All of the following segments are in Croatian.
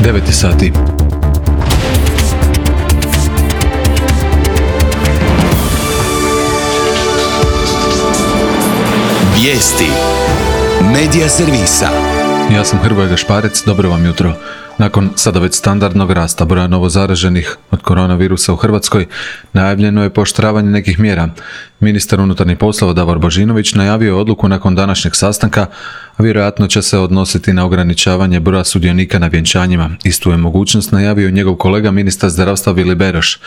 9 sati. Vijesti Medija servisa. Ja sam Hrvoje Gašparec, dobro vam jutro. Nakon sada već standardnog rasta broja novozaraženih od koronavirusa u Hrvatskoj, najavljeno je pooštravanje nekih mjera. Ministar unutarnjih poslova Davor Božinović najavio je odluku nakon današnjeg sastanka, a vjerojatno će se odnositi na ograničavanje broja sudionika na vjenčanjima. Istu je mogućnost najavio njegov kolega ministar zdravstva Vili Beroš.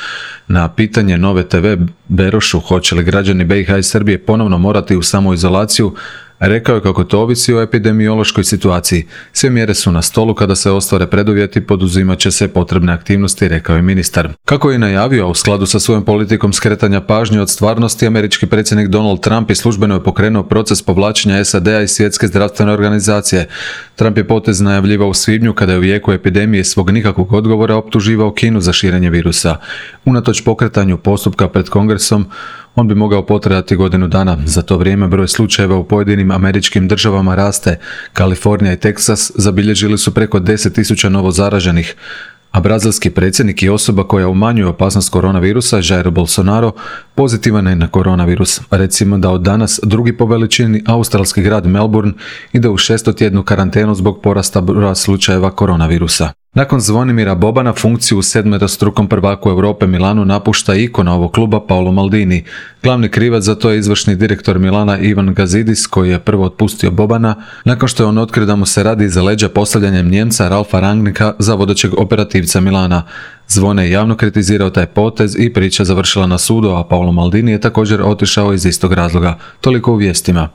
Na pitanje Nove TV Berošu hoće li građani BiH i Srbije ponovno morati u samoizolaciju, rekao je kako to ovisi o epidemiološkoj situaciji. Sve mjere su na stolu, kada se ostvare preduvjeti poduzimat će se potrebne aktivnosti, rekao je ministar. Kako je najavio, a u skladu sa svojom politikom skretanja pažnje od stvarnosti, američki predsjednik Donald Trump i službeno je pokrenuo proces povlačenja SAD-a iz Svjetske zdravstvene organizacije. Trump je potez najavljivao u svibnju, kada je u jeku epidemije svog nikakvog odgovora optuživao Kinu za širenje virusa. Unatoč pokretanju postupka pred Kongresom, on bi mogao potrajati godinu dana. Za to vrijeme broj slučajeva u pojedinim američkim državama raste. Kalifornija i Teksas zabilježili su preko 10.000 novozaraženih, a brazilski predsjednik i osoba koja umanjuje opasnost koronavirusa, Jair Bolsonaro, pozitivan je na koronavirus. Recimo da od danas drugi po veličini australski grad Melbourne ide u 6-tjednu karantenu zbog porasta broja slučajeva koronavirusa. Nakon Zvonimira Bobana funkciju u sedmerostrukom prvaku Europe Milanu napušta ikona ovog kluba Paolo Maldini. Glavni krivac za to je izvršni direktor Milana Ivan Gazidis, koji je prvo otpustio Bobana nakon što je on otkrio da mu se radi iza leđa postavljanjem Njemca Ralfa Rangnicka za vodećeg operativca Milana. Zvone je javno kritizirao taj potez i priča završila na sudu, a Paolo Maldini je također otišao iz istog razloga. Toliko u vijestima.